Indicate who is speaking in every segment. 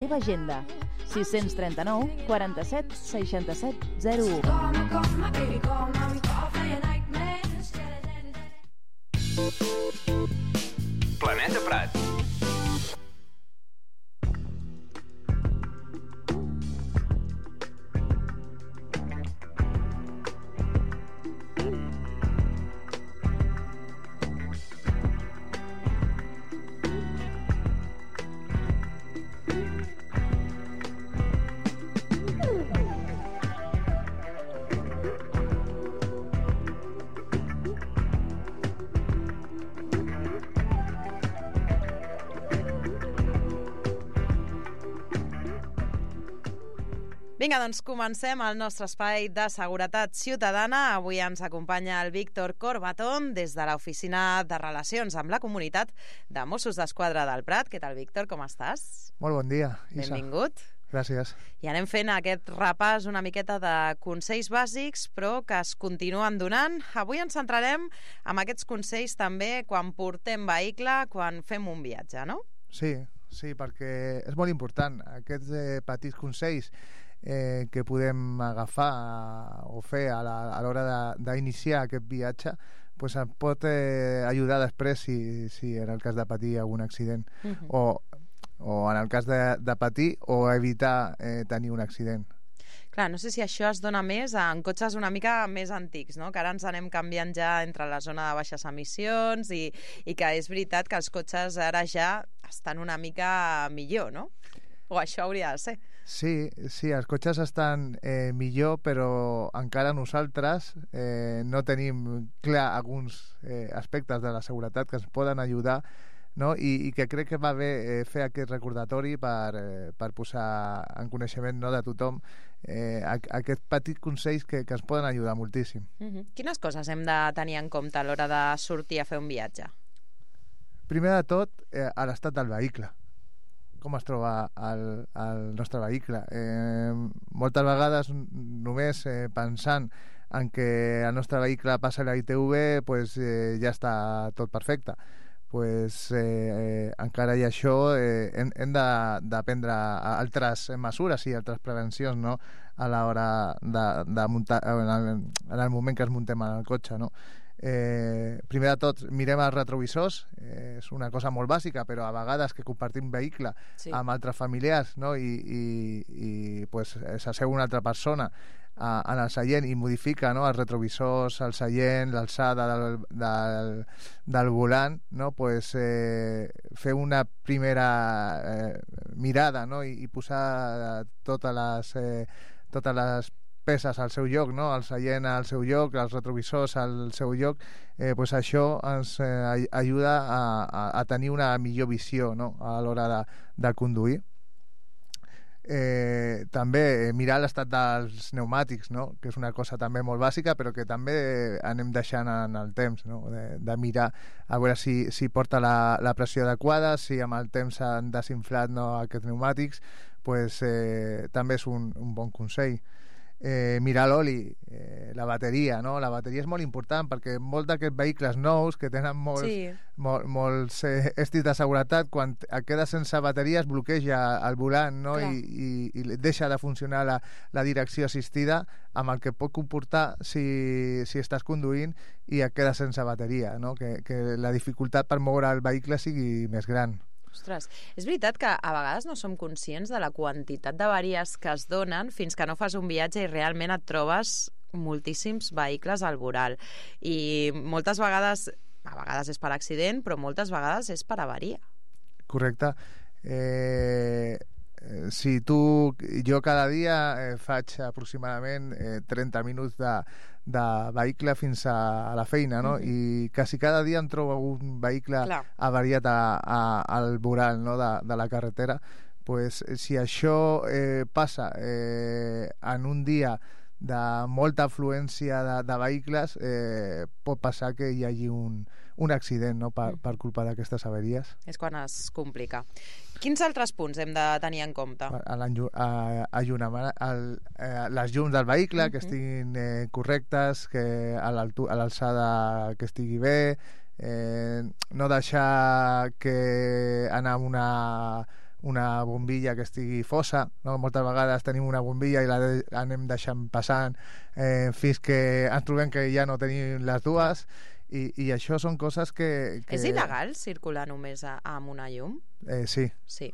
Speaker 1: teva agenda. 639 47 67 01.
Speaker 2: Planeta Prat.
Speaker 3: Vinga, doncs comencem el nostre espai de seguretat ciutadana. Avui ens acompanya el Víctor Corbatón des de l'Oficina de Relacions amb la Comunitat de Mossos d'Esquadra del Prat. Què tal, Víctor? Com estàs?
Speaker 4: Molt bon dia, Isa.
Speaker 3: Benvingut.
Speaker 4: Gràcies.
Speaker 3: I anem fent aquest repàs una miqueta de consells bàsics, però que es continuen donant. Avui ens centrarem en aquests consells també quan portem vehicle, quan fem un viatge, no?
Speaker 4: Sí, perquè és molt important. Aquests petits consells que podem agafar o fer a l'hora d'iniciar aquest viatge pues em pot ajudar després si en el cas de patir algun accident o en el cas de patir o evitar tenir un accident.
Speaker 3: Clar, no sé si això es dona més en cotxes una mica més antics, no? Que ara ens anem canviant ja entre la zona de baixes emissions i que és veritat que els cotxes ara ja estan una mica millor, no? O això hauria de ser.
Speaker 4: Sí, els cotxes estan millor, però encara nosaltres no tenim clar alguns aspectes de la seguretat que ens poden ajudar, no? I que crec que va bé fer aquest recordatori per posar en coneixement, no, de tothom aquests petits consells que ens poden ajudar moltíssim.
Speaker 3: Quines coses hem de tenir en compte a l'hora de sortir a fer un viatge?
Speaker 4: Primer de tot, l'estat del vehicle. Com es troba el nostre vehicle. Moltes vegades només pensant en que el nostre vehicle passa la ITV pues, ja està tot perfecte. Pues, encara i això hem de prendre altres mesures i altres prevencions, no? A l'hora de muntar en el moment que ens muntem en el cotxe, no? Primer de tot mirem els retrovisors, és una cosa molt bàsica, però a vegades que compartim vehicle amb altres familiars, no? i pues, s'asseu una altra persona en el seient i modifica, no, els retrovisors, el seient, l'alçada del volant, no? Pues, fer una primera mirada, no? I posar totes les peces al seu lloc, no? El seient al seu lloc, els retrovisors al seu lloc, pues això ens ajuda a tenir una millor visió, no? A l'hora de conduir. També mirar l'estat dels pneumàtics, no? Que és una cosa també molt bàsica, però que també anem deixant en el temps, no? De mirar a veure si porta la pressió adequada, si amb el temps s'han desinflat, no, aquests pneumàtics, pues, també és un bon consell. Mirar l'oli, la bateria, no? La bateria és molt important perquè molts d'aquests vehicles nous que tenen molts estris de seguretat, quan et quedes sense bateria es bloqueja el volant, no? I deixa de funcionar la direcció assistida, amb el que pot comportar si estàs conduint i et quedes sense bateria, no? Que la dificultat per moure el vehicle sigui més gran.
Speaker 3: Ostres, és veritat que a vegades no som conscients de la quantitat d'avaries que es donen fins que no fas un viatge i realment et trobes moltíssims vehicles al voral. I moltes vegades, a vegades és per accident, però moltes vegades és per avaria.
Speaker 4: Correcte. Jo cada dia faig aproximadament 30 minuts de vehicle fins a la feina, no? I quasi cada dia em trobo un vehicle avariat al voral, no? de la carretera. Pues, si això passa en un dia de molta afluència de vehicles, pot passar que hi hagi un accident, no? per culpa d'aquestes avaries.
Speaker 3: És quan es complica. Quins altres punts hem de tenir en compte?
Speaker 4: Les llums del vehicle, que estiguin correctes, que a l'alçada que estigui bé, no deixar que anar amb una bombilla que estigui fosa, no? Moltes vegades tenim una bombilla i anem deixant passant fins que ens trobem que ja no tenim les dues, i això són coses que...
Speaker 3: És il·legal circular només amb una llum?
Speaker 4: Sí.
Speaker 3: Sí.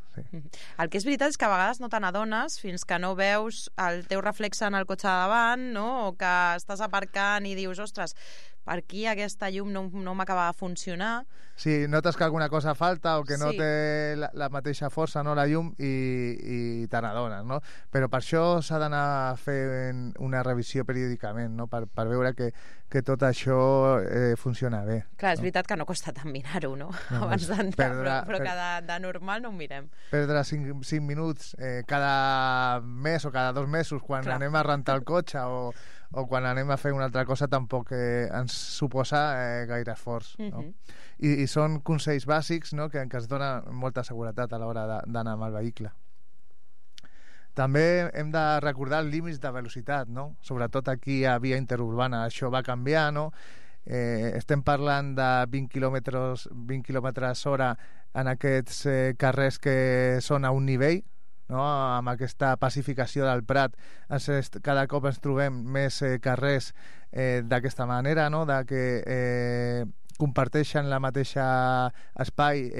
Speaker 3: El que és veritat és que a vegades no te n'adones fins que no veus el teu reflexe en el cotxe de davant, no? O que estàs aparcant i dius, ostres, per aquí aquesta llum no m'acaba de funcionar.
Speaker 4: Sí, notes que alguna cosa falta o que no
Speaker 3: Sí.
Speaker 4: té la mateixa força, no, la llum, i te n'adones, no? Però per això s'ha d'anar fent una revisió periòdicament, no? Per veure que tot això funciona bé.
Speaker 3: Clar, és veritat que no costa tant mirar-ho, no? Abans d'entrar, però que de normal no ho mirem.
Speaker 4: Perdre 5 minuts cada mes o cada 2 mesos quan anem a rentar el cotxe o quan anem a fer una altra cosa tampoc ens suposa gaire esforç, no? I són consells bàsics, no? que es dona molta seguretat a l'hora d'anar amb el vehicle. També hem de recordar els límits de velocitat, no? Sobretot aquí a via interurbana. Això va canviar, no? Estem parlant de 20 quilòmetres hora en aquests carrers que són a un nivell, no? Amb aquesta pacificació del Prat cada cop ens trobem més carrers d'aquesta manera, no? De que comparteixen la mateixa espai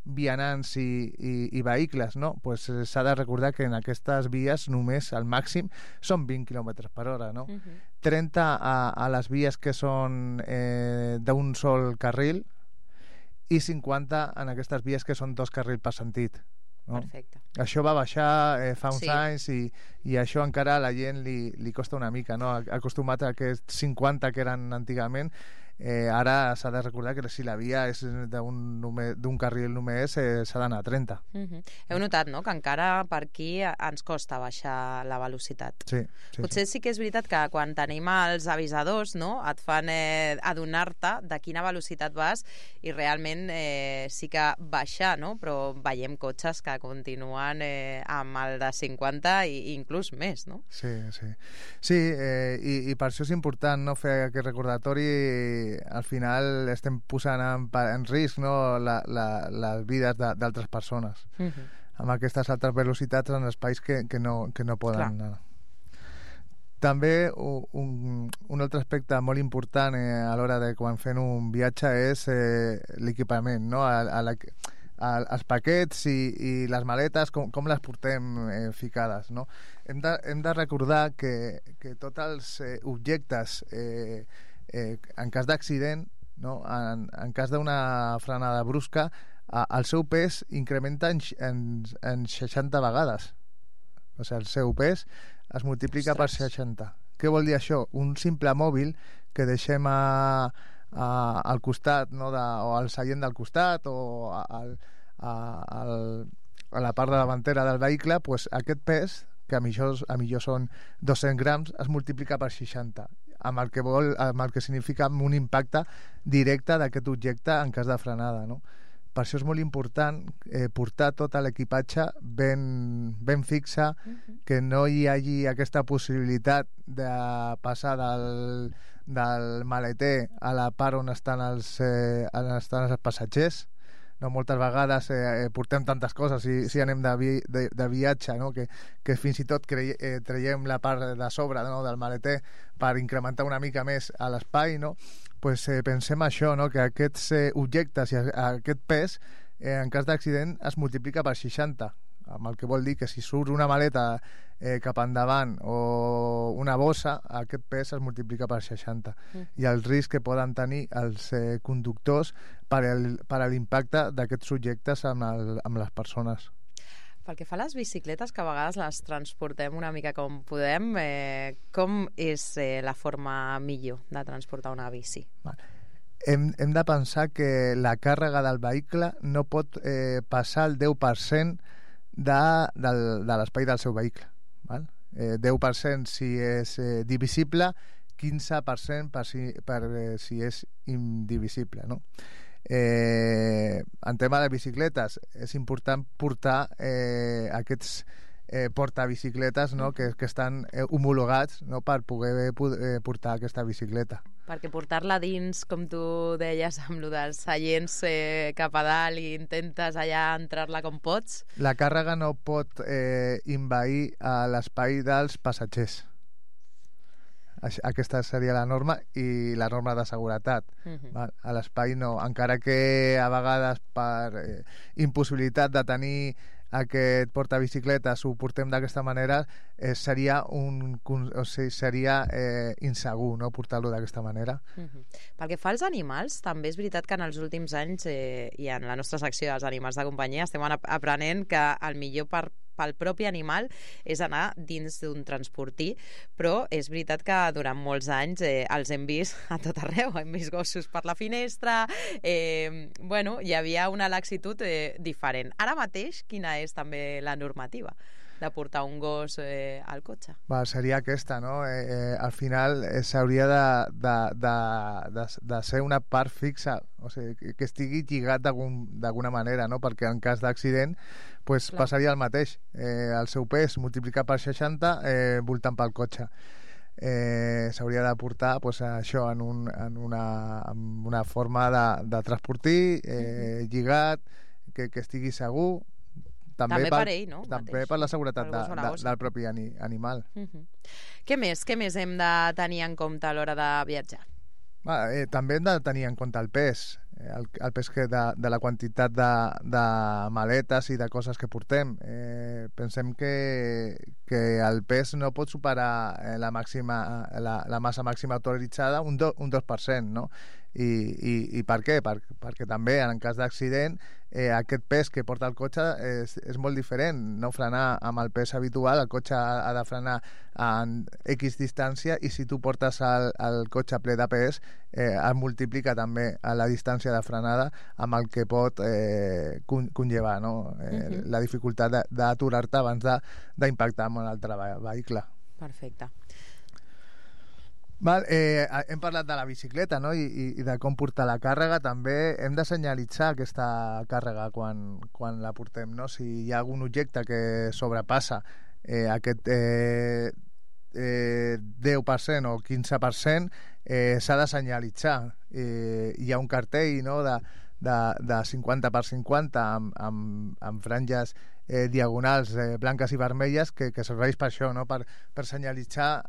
Speaker 4: vianants i vehicles, no? Pues s'ha de recordar que en aquestes vies només al màxim són 20 km per hora, no? 30 a les vies que són d'un sol carril i 50 en aquestes vies que són 2 carrils per sentit, no?
Speaker 3: Perfecte.
Speaker 4: Això va baixar fa uns
Speaker 3: Sí.
Speaker 4: anys i això encara a la gent li costa una mica, no? Acostumat a aquests 50 que eren antigament, ara s'ha de recordar que si la via és d'un carril només s'ha d'anar a 30.
Speaker 3: Heu notat, no?, que encara per aquí ens costa baixar la velocitat.
Speaker 4: Sí.
Speaker 3: Potser sí que és veritat que quan tenim els avisadors, no?, et fan adonar-te de quina velocitat vas i realment sí que baixar, no?, però veiem cotxes que continuen amb el de 50 i inclús més, no?
Speaker 4: Sí, i per això és important, no?, fer aquest recordatori. Al final estem posant en risc, no?, les vides d'altres persones amb aquestes altres velocitats en espais que no poden anar. També un altre aspecte molt important a l'hora de quan fem un viatge és l'equipament, no? Els paquets i les maletes, com les portem ficades, no? Hem de recordar que tots els objectes en cas d'accident, no? En cas d'una frenada brusca, el seu pes incrementa en 60 vegades. O sigui, el seu pes es multiplica per 60. Què vol dir això? Un simple mòbil que deixem al costat, no? O al seient del costat o a la part de davantera del vehicle, pues aquest pes, que a millor són 200 grams, es multiplica per 60, amb el que significa un impacte directe d'aquest objecte en cas de frenada, no? Per això és molt important portar tot l'equipatge ben fixa, que no hi hagi aquesta possibilitat de passar del maleter a la part on estan els passatgers, no? Moltes vegades portem tantes coses si anem de viatge, no? que fins i tot traiem la part de sobre, no? del maleter per incrementar una mica més a l'espai, no? Pues, pensem això, no? Que aquests objectes i aquest pes en cas d'accident es multiplica per 60, amb el que vol dir que si surt una maleta cap endavant o una bossa, aquest pes es multiplica per 60 i el risc que poden tenir els conductors per l'impacte d'aquests subjectes amb les persones.
Speaker 3: Pel que fa a les bicicletes, que a vegades les transportem una mica com podem, com és la forma millor de transportar una bici?
Speaker 4: Hem de pensar que la càrrega del vehicle no pot passar el 10% de l'espai del seu vehicle. Val? 10% si és divisible, 15% per si és indivisible, no? En tema de bicicletes és important portar aquests portabicicletes, no? que estan homologats, no? per poder portar aquesta bicicleta.
Speaker 3: Perquè portar-la dins, com tu deies, amb lo dels seients cap a dalt i intentes allà entrar-la com pots...
Speaker 4: La càrrega no pot envair l'espai dels passatgers. Aquesta seria la norma i la norma de seguretat. Val? A l'espai no, encara que a vegades per impossibilitat de tenir aquest portabicicletes ho portem d'aquesta manera, seria insegur, no?, portar-lo d'aquesta manera.
Speaker 3: Pel que fa als animals, també és veritat que en els últims anys i en la nostra secció dels animals de companyia estem aprenent que el millor pel propi animal és anar dins d'un transportí, però és veritat que durant molts anys els hem vist a tot arreu, hem vist gossos per la finestra, hi havia una laxitud diferent. Ara mateix, quina és també la normativa de portar un gos al cotxe?
Speaker 4: Seria aquesta, no? Al final s'hauria de ser una part fixa, o sigui, que estigui lligat d'alguna manera, no? Perquè en cas d'accident passaria el mateix. El seu pes multiplicat per 60 voltant pel cotxe. S'hauria de portar això en una forma de transportir lligat, que estigui segur, també per ell, no? També per la seguretat del propi animal.
Speaker 3: Què més hem de tenir en compte a l'hora de viatjar?
Speaker 4: També hem de tenir en compte el pes, el pes de la quantitat de maletes i de coses que portem. Pensem que el pes no pot superar la massa màxima autoritzada un 2%, no? I per què? Perquè també en cas d'accident aquest pes que porta el cotxe és molt diferent. No frenar amb el pes habitual, el cotxe ha de frenar en X distància, i si tu portes el cotxe ple de pes es multiplica també la distància de frenada amb el que pot conllevar, no? La dificultat d'aturar-te abans d'impactar amb un altre vehicle.
Speaker 3: Perfecte.
Speaker 4: Hem parlat de la bicicleta, no? I de com portar la càrrega. També hem de senyalitzar aquesta càrrega quan la portem, no? Si hi ha algun objecte que sobrepassa aquest 10% o 15%, s'ha de senyalitzar. Hi ha un cartell, no?, de 50 per 50 amb franges diagonals blanques i vermelles que serveix per això, no?, per senyalitzar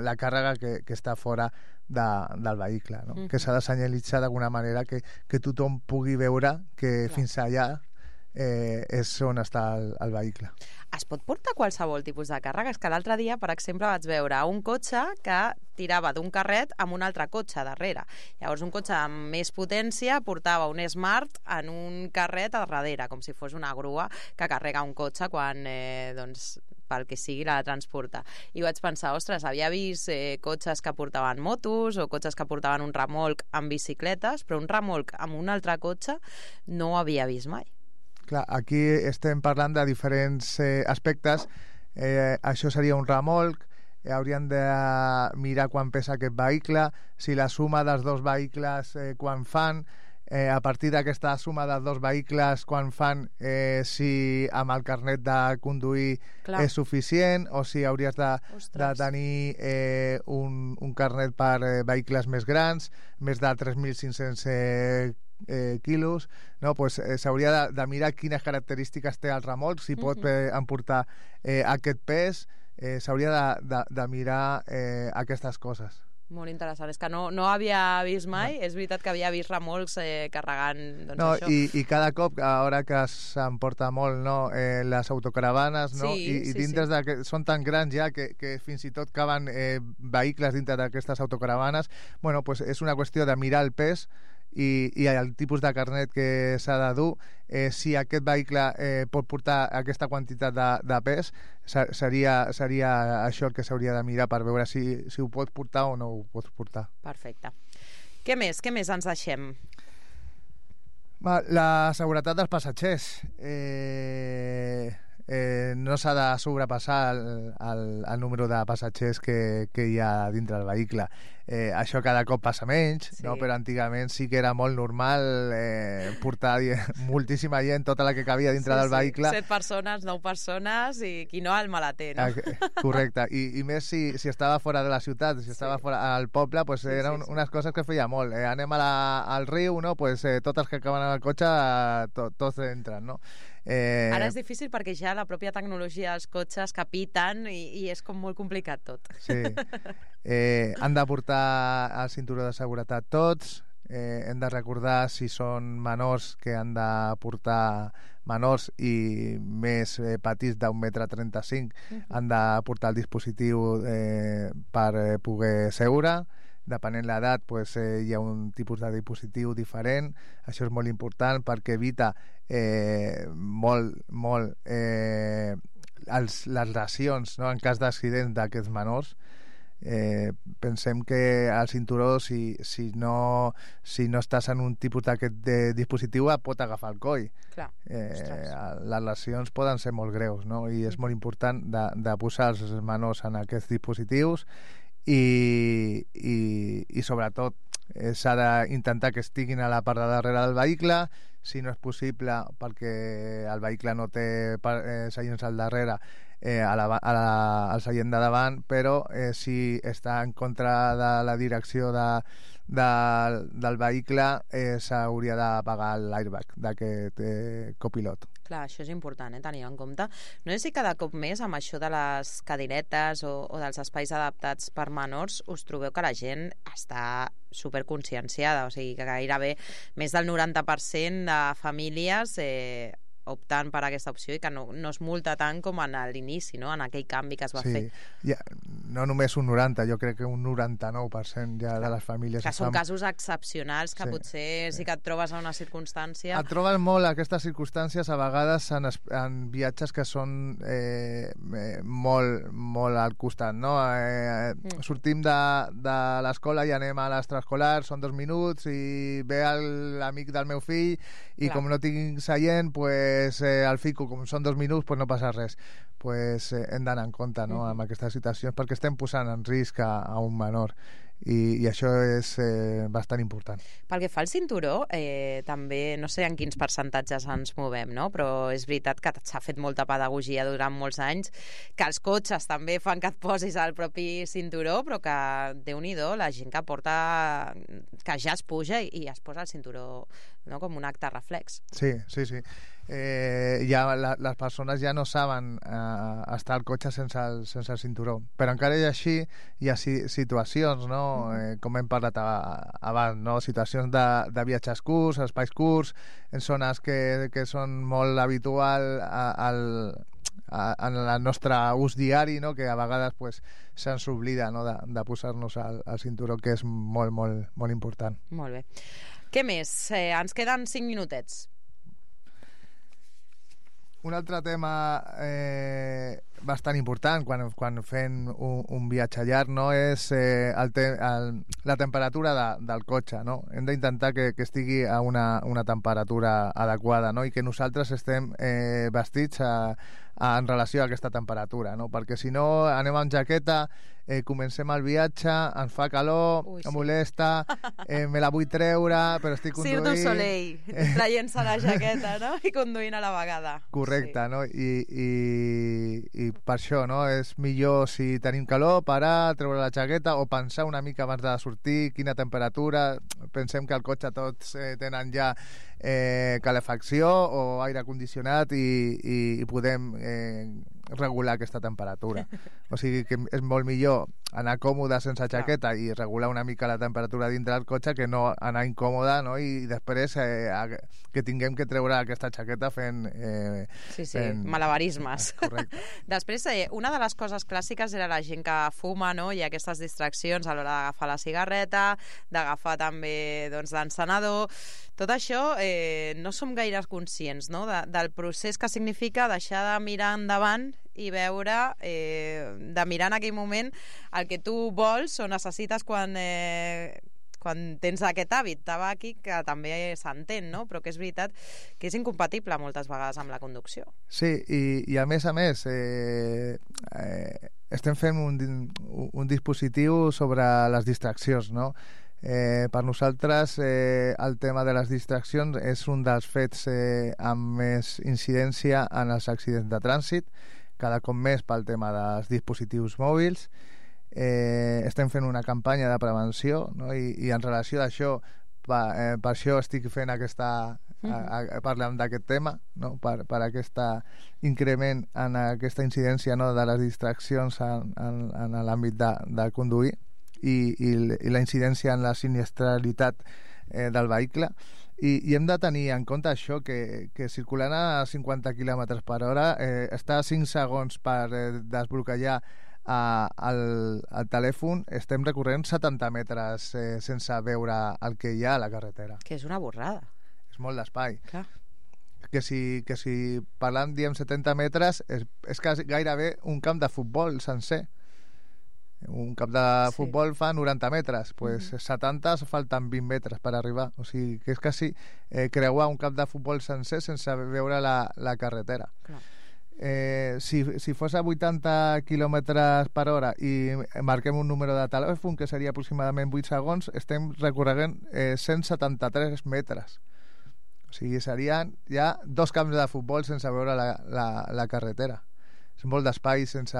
Speaker 4: la càrrega que està fora del vehicle, no? Que s'ha de senyalitzar d'alguna manera que tothom pugui veure que fins allà és on està el vehicle.
Speaker 3: Es pot portar qualsevol tipus de càrrega? És que l'altre dia, per exemple, vaig veure un cotxe que tirava d'un carret amb un altre cotxe darrere. Llavors, un cotxe amb més potència portava un Smart en un carret a darrere, com si fos una grua que carrega un cotxe quan, pel que sigui, la transporta. I vaig pensar, ostres, havia vist cotxes que portaven motos o cotxes que portaven un remolc amb bicicletes, però un remolc amb un altre cotxe no ho havia vist mai.
Speaker 4: Clar, aquí estem parlant de diferents aspectes. Això seria un remolc, hauríem de mirar quan pesa aquest vehicle, si la suma dels dos vehicles quan fan, a partir d'aquesta suma dels dos vehicles quan fan, si amb el carnet de conduir és suficient, o si hauries de tenir un carnet per vehicles més grans, més de 3.500 quilos, no? S'hauria de mirar quines característiques té el remolc, si pot emportar aquest pes, s'hauria de mirar aquestes coses.
Speaker 3: Molt interessant, és que no havia vist mai, és veritat que havia vist remolcs carregant això.
Speaker 4: I cada cop, a l'hora que s'emporta molt, no, les autocaravanes, no? I dintre són tan grans ja que fins i tot caben vehicles dintre d'aquestes autocaravanes. És una qüestió de mirar el pes i el tipus de carnet que s'ha de dur. Si aquest vehicle pot portar aquesta quantitat de pes, seria això el que s'hauria de mirar per veure si ho pot portar o no ho pot portar.
Speaker 3: Perfecte. Què més ens deixem?
Speaker 4: La seguretat dels passatgers. no s'ha de sobrepassar el número de passatgers que hi ha dintre del vehicle. Això cada cop passa menys, no? Però antigament sí que era molt normal portar moltíssima gent, tota la que cabia dintre del vehicle.
Speaker 3: 7 persones, 9 persones i qui no el malater, no?
Speaker 4: Correcte, i més si estava fora de la ciutat, si estava fora al poble, pues eren unes coses que feia molt. Anem al riu, no? Pues tots els que acaben en el cotxe, tots entren, no?
Speaker 3: Ara és difícil perquè ja la pròpia tecnologia dels cotxes capiten i és com molt complicat tot.
Speaker 4: Sí. Han de portar el cinturó de seguretat tots, hem de recordar si són menors que han de portar menors i més petits d'1,35 m han de portar el dispositiu per poder seure. Depenent l'edat, pues, hi ha un tipus de dispositiu diferent. Això és molt important perquè evita molt les lesions, no? En cas d'accidents d'aquests menors. Pensem que el cinturó, si no estàs en un tipus d'aquest dispositiu, et pot agafar el coll.
Speaker 3: Clar,
Speaker 4: les lesions poden ser molt greus, no? I és molt important de posar els menors en aquests dispositius i sobretot s'ha d'intentar que estiguin a la part de darrere del vehicle, si no és possible perquè el vehicle no té seients al darrere, al seient de davant, però si està en contra de la direcció del vehicle s'hauria d'apagar l'airbag d'aquest copilot.
Speaker 3: Clar, això és important, tenir en compte. No sé si cada cop més amb això de les cadiretes o dels espais adaptats per menors us trobeu que la gent està superconscienciada, o sigui que gairebé més del 90% de famílies optant per aquesta opció i que no es multa tant com en l'inici, no? En aquell canvi que es va fer.
Speaker 4: Ja, no només un 90, jo crec que un 99% ja de les famílies...
Speaker 3: Que són casos excepcionals que potser sí que et trobes en una circumstància...
Speaker 4: Et trobes molt aquestes circumstàncies a vegades en viatges que són molt al costat, no? Sortim de l'escola i anem a l'extraescolar, són 2 minuts i ve l'amic del meu fill i com no tinc seient, pues el fico, com són 2 minuts, pues no passa res. Pues hem d'anar en compte, no? Amb aquestes situacions, perquè estem posant en risc a un menor i això és bastant important.
Speaker 3: Pel que fa al cinturó, també no sé en quins percentatges ens movem, no? Però és veritat que s'ha fet molta pedagogia durant molts anys, que els cotxes també fan que et posis al propi cinturó, però que, Déu-n'hi-do, la gent que porta, que ja es puja i es posa el cinturó, no? Com un acte reflex.
Speaker 4: Sí. Ja les persones ja no saben estar al cotxe sense el cinturó, però encara i així hi ha situacions, no? Com hem parlat abans, no? Situacions de viatges curts, espais curts, en zones que són molt habitual en el nostre ús diari, no? Que a vegades pues, se'ns oblida, no? de posar-nos el cinturó, que és molt, molt, molt important.
Speaker 3: Molt bé. Què més? Ens queden 5 minutets.
Speaker 4: Un altre tema bastant important quan fem un viatge llarg, no? És la temperatura del cotxe, no? Hem d'intentar que estigui a una temperatura adequada, no? I que nosaltres estem vestits en relació a aquesta temperatura, no? Perquè si no anem amb jaqueta, comencem el viatge, ens fa calor, em molesta, me la vull treure, però estic conduint...
Speaker 3: Cirque du Soleil, traient-se la jaqueta, no? I conduint a la vegada.
Speaker 4: Correcte, no? I per això, no? És millor, si tenim calor, parar, treure la jaqueta o pensar una mica abans de sortir, quina temperatura. Pensem que al cotxe tots tenen ja calefacció o aire condicionat i podem regular aquesta temperatura. O sigui que és molt millor anar còmode sense jaqueta i regular una mica la temperatura dintre del cotxe que no anar incòmode, no? I després que tinguem que treure aquesta jaqueta fent
Speaker 3: malabarismes.
Speaker 4: Correcte.
Speaker 3: Després, una de les coses clàssiques era la gent que fuma, no? I aquestes distraccions a l'hora d'agafar la cigarreta, d'agafar també l'encenedor. Tot això no som gaire conscients, no? Del procés que significa deixar de mirar endavant i veure, de mirar en aquell moment el que tu vols o necessites quan quan tens aquest hàbit tabàquic, que també s'entén, no? Però que és veritat que és incompatible moltes vegades amb la conducció.
Speaker 4: Sí, i a més, estem fent un dispositiu sobre les distraccions, no? Per nosaltres el tema de les distraccions és un dels fets amb més incidència en els accidents de trànsit, cada cop més pel tema dels dispositius mòbils. Estem fent una campanya de prevenció, no? I en relació a això, per això estic fent parlant d'aquest tema, no? per aquest increment en aquesta incidència, no? de les distraccions en l'àmbit de conduir i la incidència en la sinistralitat del vehicle, i hem de tenir en compte això, que circulant a 50 km per hora està a 5 segons per desbloquejar el telèfon, estem recorrent 70 metres sense veure el que hi ha a la carretera.
Speaker 3: Que és una borrada.
Speaker 4: És molt d'espai.
Speaker 3: Clar.
Speaker 4: Que si parlant, diem 70 metres, és quasi gairebé un camp de futbol sencer. Un camp de futbol fa 90 metres, pues 70 falten 20 metres per arribar, o sigui que és quasi creuar un camp de futbol sencer sense veure la carretera.
Speaker 3: Clar.
Speaker 4: Si fos a 80 km per hora i marquem un número de telèfon que seria aproximadament 8 segons, estem recorregant 173 metres, o sigui serien ja 2 camps de futbol sense veure la carretera. És molt d'espai sense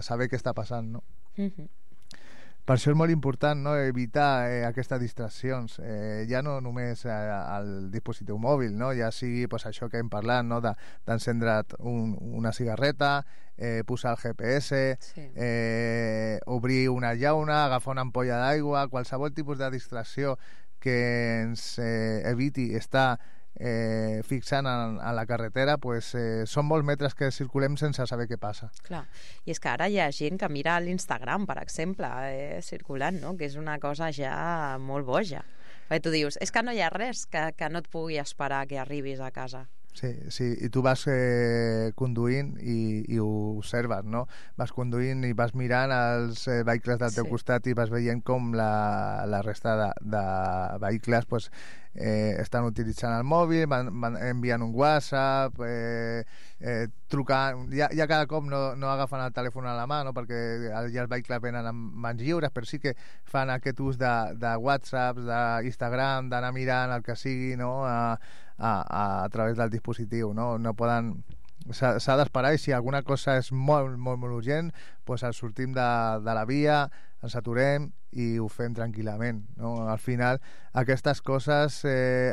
Speaker 4: saber què està passant, no? Per això és molt important, no? Evitar aquestes distraccions, ja no només al dispositiu mòbil, no? Ja sigui pues, això que hem parlat, no? D'encendre't una cigarreta, posar el GPS, obrir una llauna, agafar una ampolla d'aigua, qualsevol tipus de distracció que ens eviti estar fixant en la carretera, pues, són molts metres que circulem sense saber què passa.
Speaker 3: Clar, i és que ara hi ha gent que mira l'Instagram, per exemple, circulant, no? Que és una cosa ja molt boja. Perquè tu dius, és que no hi ha res que no et pugui esperar que arribis a casa.
Speaker 4: Sí, i tu vas conduint i ho observes, no? Vas conduint i vas mirant els vehicles del teu costat i vas veient com la resta de vehicles pues, estan utilitzant el mòbil, van enviant un WhatsApp, trucant, ja cada cop no agafen el telèfon a la mà, no? Perquè ja els vehicles venen amb mans lliures, però sí que fan aquest ús de WhatsApp, d'Instagram, d'anar mirant el que sigui, no? A través del dispositiu, no? No poden... S'ha d'esperar, i si alguna cosa és molt, molt, molt urgent, doncs sortim de la via, ens aturem i ho fem tranquil·lament, no? Al final, aquestes coses,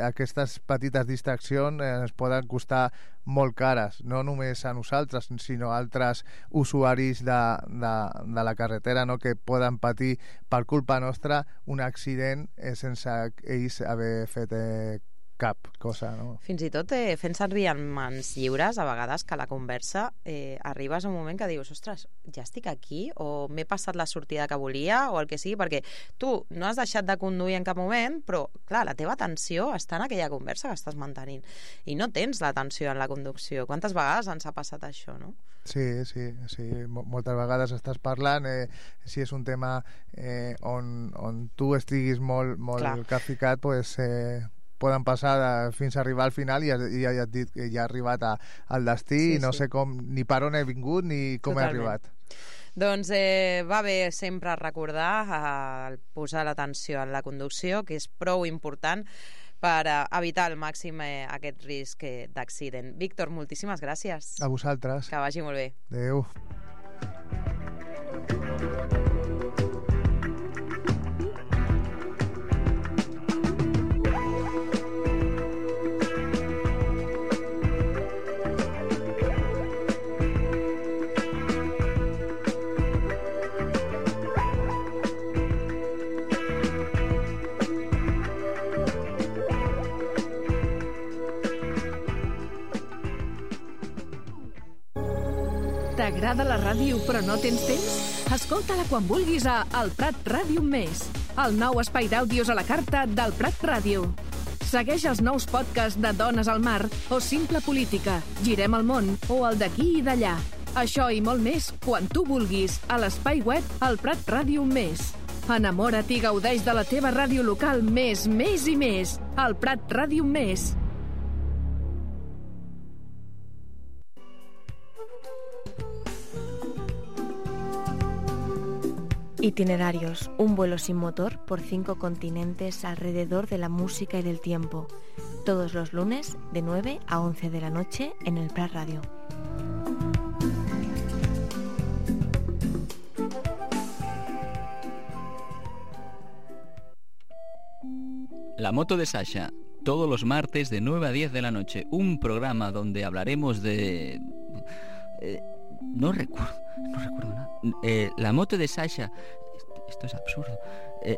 Speaker 4: aquestes petites distraccions ens poden costar molt cares, no només a nosaltres, sinó a altres usuaris de la carretera, no? Que poden patir per culpa nostra un accident sense ells haver fet cap cosa, no?
Speaker 3: Fins i tot fent servir en mans lliures, a vegades que la conversa arribes a un moment que dius, ostres, ja estic aquí, o m'he passat la sortida que volia, o el que sigui, perquè tu no has deixat de conduir en cap moment, però, clar, la teva atenció està en aquella conversa que estàs mantenint, i no tens l'atenció en la conducció. Quantes vegades ens ha passat això, no?
Speaker 4: Sí. Moltes vegades estàs parlant, si és un tema on tu estiguis molt capficat, pues... poden passar fins a arribar al final i ja et dit que ja ha arribat al destí i no sé com, ni per on he vingut ni com he arribat.
Speaker 3: Doncs va bé sempre recordar posar l'atenció en la conducció, que és prou important per evitar al màxim aquest risc d'accident. Víctor, moltíssimes gràcies.
Speaker 4: A vosaltres.
Speaker 3: Que vagi molt bé.
Speaker 4: Adéu.
Speaker 5: T'agrada la ràdio però no tens temps? Escolta-la quan vulguis a El Prat Ràdio Més, el nou espai d'àudios a la carta del Prat Ràdio. Segueix els nous podcasts de Dones al Mar o Simple Política, Girem el món o el d'aquí i d'allà. Això i molt més quan tu vulguis a l'espai web El Prat Ràdio Més. Enamora't i gaudeix de la teva ràdio local més i més. El Prat Ràdio Més.
Speaker 6: Itinerarios, un vuelo sin motor por 5 continentes alrededor de la música y del tiempo. Todos los lunes de 9 a 11 de la noche en el Prat Radio.
Speaker 7: La moto de Sasha, todos los martes de 9 a 10 de la noche. Un programa donde hablaremos de... no recuerdo nada. La moto de Sasha... Esto es absurdo.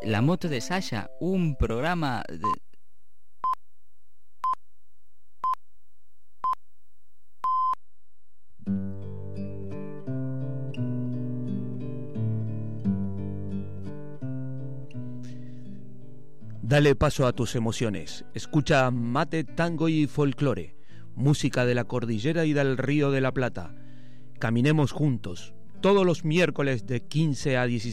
Speaker 7: La moto de Sasha, un programa de...
Speaker 8: Dale paso a tus emociones. Escucha Mate, Tango y Folclore, música de la cordillera y del Río de la Plata. Caminemos juntos, todos los miércoles de 15 a 16.